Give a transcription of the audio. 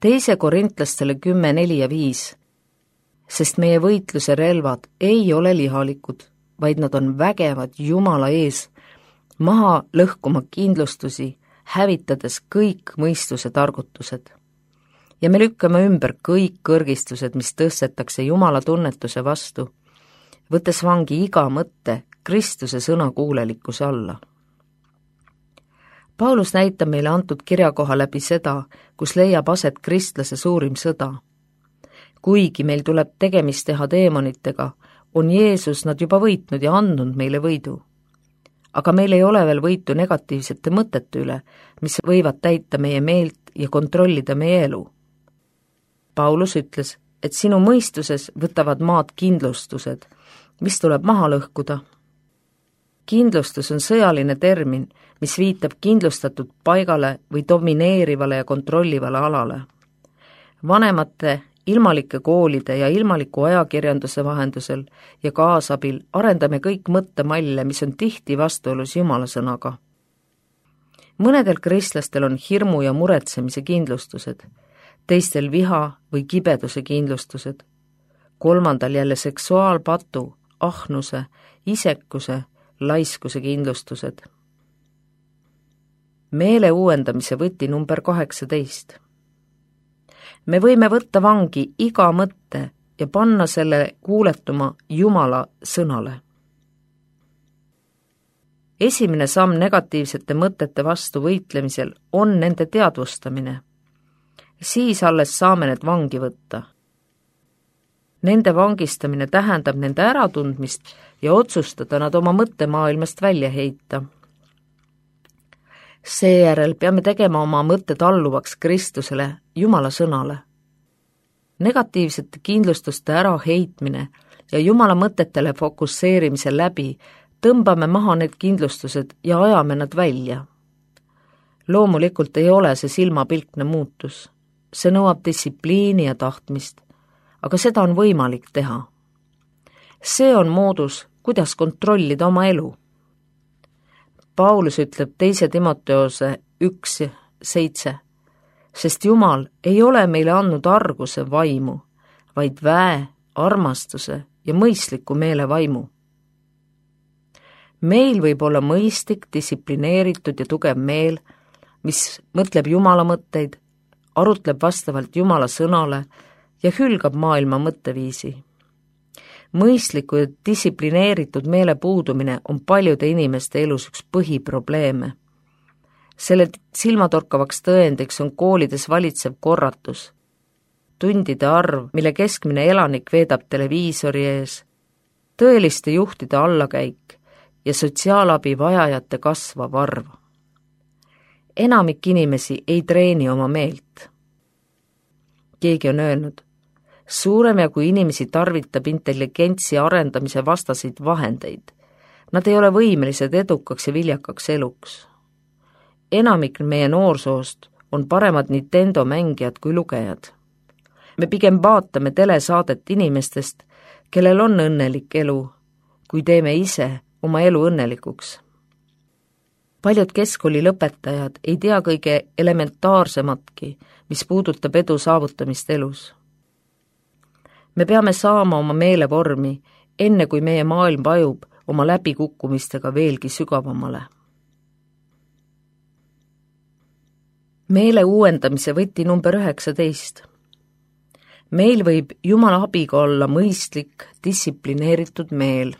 2 Korintlastele 10:4-5, sest meie võitluse relvad ei ole lihalikud, vaid nad on vägevad Jumala ees, maha lõhkuma kindlustusi, hävitades kõik mõistuse targutused. Ja me lükkame ümber kõik kõrgistused, mis tõstetakse Jumala tunnetuse vastu, võttes vangi iga mõtte Kristuse sõnakuulelikkuse alla. Paulus näitab meile antud kirjakoha läbi seda, kus leiab aset kristlase suurim sõda. Kuigi meil tuleb tegemist teha teemonitega, on Jeesus nad juba võitnud ja andnud meile võidu. Aga meil ei ole veel võitu negatiivsete mõtete üle, mis võivad täita meie meelt ja kontrollida meie elu. Paulus ütles, et sinu mõistuses võtavad maad kindlustused, mis tuleb maha lõhkuda. Kindlustus on sõjaline termin, mis viitab kindlustatud paigale või domineerivale ja kontrollivale alale. Vanemate, ilmalike koolide ja ilmaliku ajakirjanduse vahendusel ja kaasabil arendame kõik mõttemalle, mis on tihti vastuolus Jumala sõnaga. Mõnedel kristlastel on hirmu ja muretsemise kindlustused, teistel viha või kibeduse kindlustused, kolmandal jälle seksuaalpatu, ahnuse, isekuse, laiskuse kindlustused. Meele uuendamise võti number 18. Me võime võtta vangi iga mõtte ja panna selle kuuletuma Jumala sõnale. Esimene samm negatiivsete mõtete vastu võitlemisel on nende teadvustamine. Siis alles saame need vangi võtta. Nende vangistamine tähendab nende äratundmist ja otsustada nad oma mõttemaailmast välja heita. Seejärel peame tegema oma mõtted alluvaks Kristusele, Jumala sõnale. Negatiivsete kindlustuste äraheitmine ja Jumala mõtetele fokusseerimise läbi tõmbame maha need kindlustused ja ajame nad välja. Loomulikult ei ole see silmapilkne muutus. See nõuab distsipliini ja tahtmist, aga seda on võimalik teha. See on moodus, kuidas kontrollida oma elu. Paulus ütleb 2 Timoteose 1:7, sest Jumal ei ole meile andnud arguse vaimu, vaid väe, armastuse ja mõistliku meele vaimu. Meil võib olla mõistlik, distsiplineeritud ja tugev meel, mis mõtleb Jumala mõtteid, arutleb vastavalt Jumala sõnale ja hülgab maailma mõtteviisi. Mõistliku ja distsiplineeritud meele puudumine on paljude inimeste elus üks põhiprobleeme. Selle silmatorkavaks tõendiks on koolides valitsev korratus, tundide arv, mille keskmine elanik veedab televiisori ees, tõeliste juhtide allakäik ja sotsiaalabi vajajate kasvav arv. Enamik inimesi ei treeni oma meelt. Keegi on öelnud, suurem jagu inimesi tarvitab intelligentsi arendamise vastaseid vahendeid. Nad ei ole võimelised edukaks ja viljakaks eluks. Enamik meie noorsoost on paremad Nintendo mängijad kui lugejad. Me pigem vaatame telesaadet inimestest, kellel on õnnelik elu, kui teeme ise oma elu õnnelikuks. Paljud keskkooli lõpetajad ei tea kõige elementaarsematki, mis puudutab edu saavutamist elus. Me peame saama oma meelevormi, enne kui meie maailm vajub oma läbikukkumistega veelgi sügavamale. Meele uuendamise võti number 19. Meil võib Jumala abiga olla mõistlik, distsiplineeritud meel.